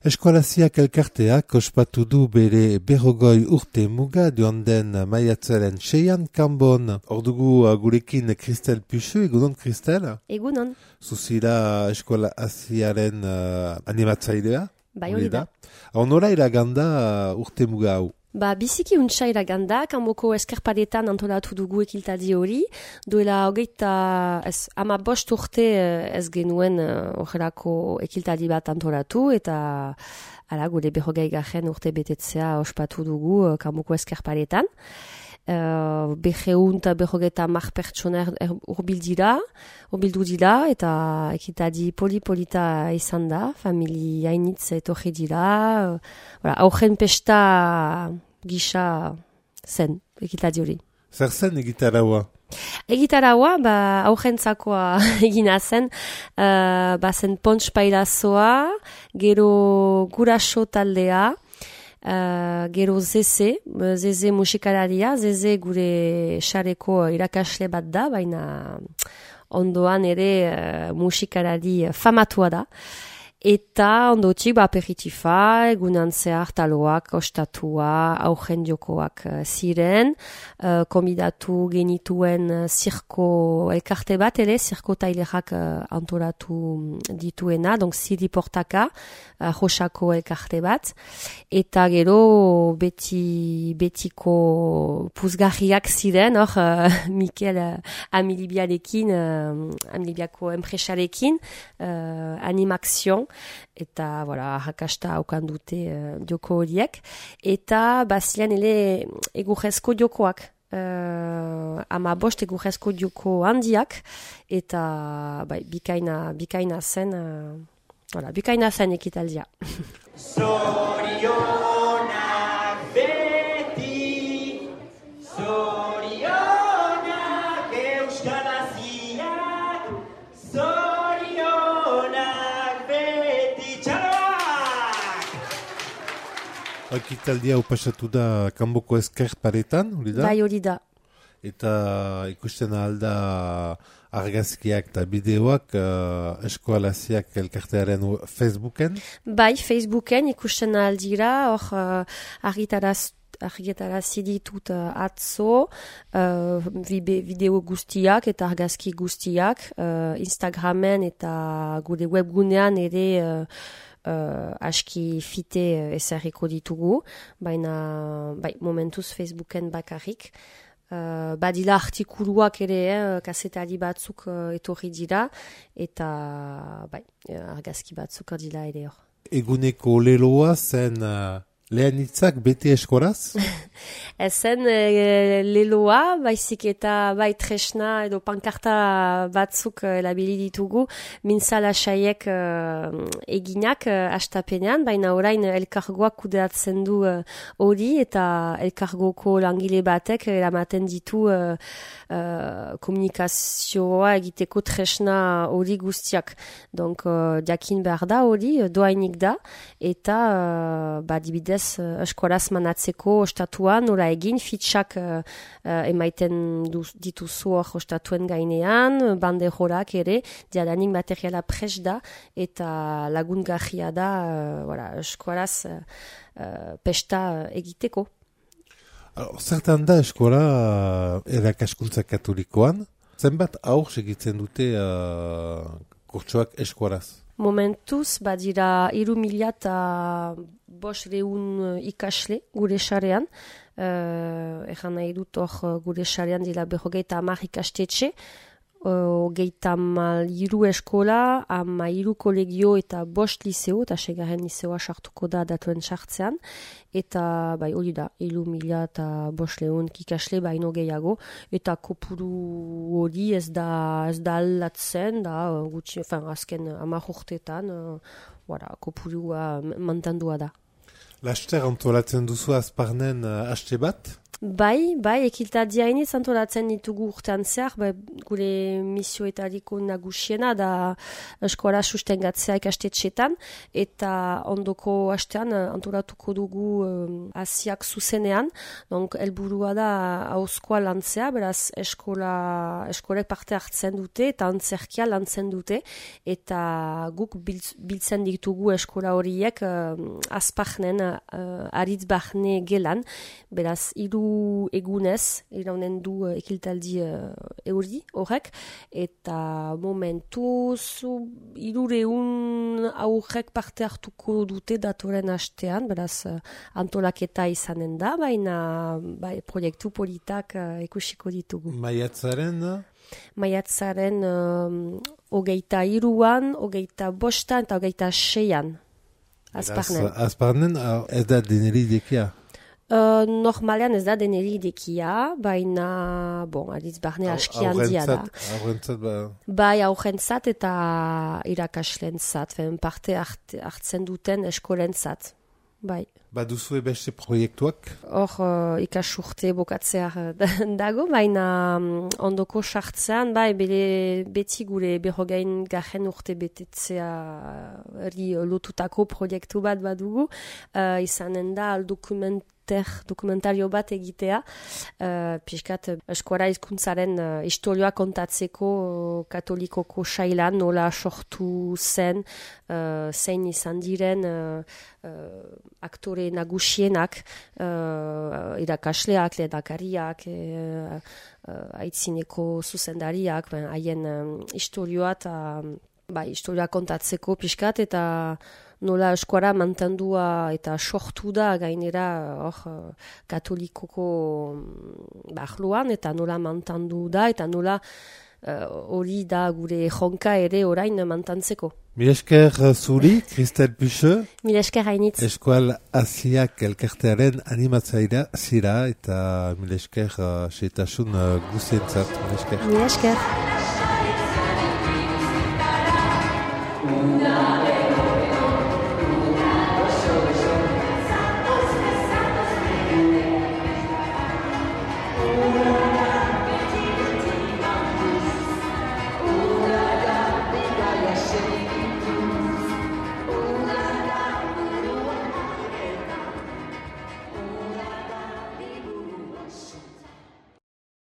Eskualaziak elkarteak ospatu du bere 40 urte muga joan den maiatzaren 6an Kanbon. Ordugu gurekin Kristel Puxu, egunon Kristel? Egunon. Zuzira eskualaziaren animatzailea? Bai, hori da. Honora iraganda urte muga hau? Biziki untsa iraganda, Kanboko eskerpadetan antolatu dugu ekiltadi hori. Duela hogeita, 15 urte ez genuen horrelako ekiltadi bat antolatu, eta gure 40 urte betetzea ospatu dugu Kanboko eskerpadetan. 250 pertsona urbildu dira, eta ekitadi polita izan da, familia hainitz etorri dira, aurren pesta gisa zen ekitadi hori. Zer zen egitaraua? Egitaraua, aurrentzakoa egina zen, zen pontx pailazoa, gero guraso taldea, gero Zeze musikalaria, Zeze gure xareko irakasle bat da, baina ondoan ere musikalari famatua da. Eta ondotik aperitifa, egunan zehar taloak, ostatua, aurren jokoak ziren, konbidatu genituen zirko elkarte bat ere, zirko tailerak antolatu dituena, donc Ziri Portaka, Josako elkarte bat, eta gero betiko puzgarriak ziren, Mikel Amilibiarekin, Amilibiako enpresarekin, animakzion, eta harrakasta haukan dute joko horiek, eta bazilean ele egurrezko jokoak, 15 egurrezko joko handiak, eta bikaina zen ekitaldia. Zorionak beti, zorionak euskalaziak, zorionak beti txaloak! Ekitaldia upasatu da Kanboko eskerparetan, hori da? Bai, hori da. Eta ikusten alda argazkiak eta bideoak eskualaziak elkartearen Facebooken? Bai, Facebooken ikusten aldira, argitarazi ditut atzo, bideo guztiak eta argazki guztiak, Instagramen eta gure webgunean ere aski fite ezarriko ditugu, baina momentuz Facebooken bakarrik. Badila artikuluak ere, kasetari batzuk etorri dira, eta argazki batzuk dira ere hor. Eguneko leloa zen lehen hitzak bete eskoraz? Ezen leloa, baizik eta tresna edo pankarta batzuk labili ditugu, mintzala saiek eginak astapenean, baina orain elkargoak kudeatzen du hori, eta elkargoko langile batek eramaten ditu komunikazioa egiteko tresna hori guztiak. Donc, jakin behar da hori, doainik da, eta dibidez eskolaz manatzeko ostatuan, nola egin, fitxak emaiten dituzu hor ostatuen gainean, banderorak ere, diadanik materiala pres da, eta lagungarria da eskolaz pesta egiteko. Zertan da eskola erakaskuntza katolikoan, zenbat aur segitzen dute kurtsoak eskolaz? Momentuz, badira 3.500 ikasle gure xarean. Egan nahi dut hor gure xarean dira 50 ikastetxe, 23 eskola, 13 kolegio eta 5 liseo, eta 6. liseoa sartuko da datuen sartzean, eta hori da, 3.500 ikasle baino gehiago, eta kopuru hori ez da aldatzen, gutxi, azken 10 urteetan, kopurua mantendua da. Laster antolatzen duzu azparnen haste bat? Bai, ekiltaldia iniz antolatzen ditugu urtean zehar, gure misioetariko nagusiena da eskola sustengatzea ikastetxetan, eta ondoko astean antolatuko dugu hasiak zuzenean, helburua da hauzkoa lantzea, beraz eskolek parte hartzen dute eta antzerkia lantzen dute, eta guk biltzen ditugu eskola horiek azparnen, aritz barne gelan, beraz, egunez, iraunen du ekiltaldi euri horrek, eta momentuz 300 aurrek parte hartuko dute datoren hastean, beraz antolaketa izanen da, baina proiektu politak ikusiko ditugu. Maiatzaren? Maiatzaren 23an, 25an eta 26an. Azparnen. Azparnen ez da deneri dekia? Normalean ez da deneri idekia, baina, aritz barne aski handia da. Aurrentzat ba? Bai, aurrentzat eta irakaslentzat, parte hartzen duten eskolentzat. Bai. Baduzue beste proiektuak? Hor ikasurte bokatzear dago, baina ondoko sartzean, beti gure 40. urte betetzea lotutako proiektu bat badugu, izanen da dokumentario bat egitea, pixkat eskora hizkuntzaren historioa kontatzeko katolikoko sailan nola sortu zen, zein izan diren aktore nagusienak, irakasleak, lehendakariak, aitzineko zuzendariak, haien historioa historioa kontatzeko pixkat, eta nola eskuara mantendua eta sortu da gainera katolikoko bahluan, eta nola mantendu da, eta nola hori da gure jonka ere orain mantantzeko. Mil esker zuri, Kristel Pucheux. Mil esker hainitz. Eskual Asiak elkartearen animatzaira zira, eta mil esker seitasun guzientzat. Mil esker. Mil esker.